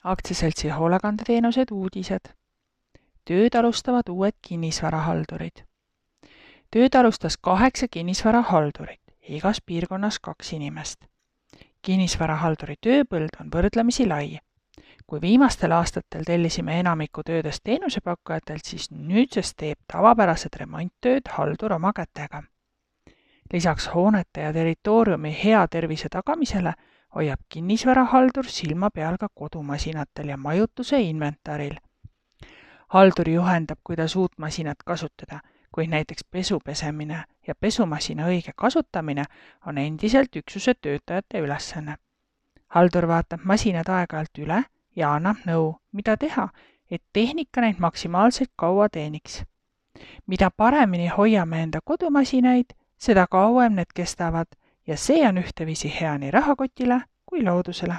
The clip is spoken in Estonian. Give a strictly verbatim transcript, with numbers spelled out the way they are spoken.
Aktsiaseltsi hoolekandeteenused uudised. Tööd alustavad uued kinnisvarahaldurid. Tööd alustas kaheksa kinnisvarahaldurit, igas piirkonnas kaks inimest. Kinnisvarahalduri tööpõld on võrdlemisi lai. Kui viimastel aastatel tellisime enamiku töödest teenusepakkujatelt, siis nüüdsest teeb tavapärased remonttööd haldur oma kätega. Lisaks hoonete ja territooriumi hea tervise tagamisele hoiab kinnisvarahaldur silma peal ka kodumasinatel ja majutuse inventaril. Haldur juhendab, kuidas uut masinat kasutada, kuid näiteks pesu pesemine ja pesumasina õige kasutamine on endiselt üksuse töötajate ülesanne. Haldur vaatab masinad aeg-ajalt üle ja annab nõu, mida teha, et tehnika neid maksimaalselt kaua teeniks. Mida paremini hoiame enda kodumasinaid, seda kauem need kestavad ja see on ühteviisi hea nii rahakotile kui loodusele.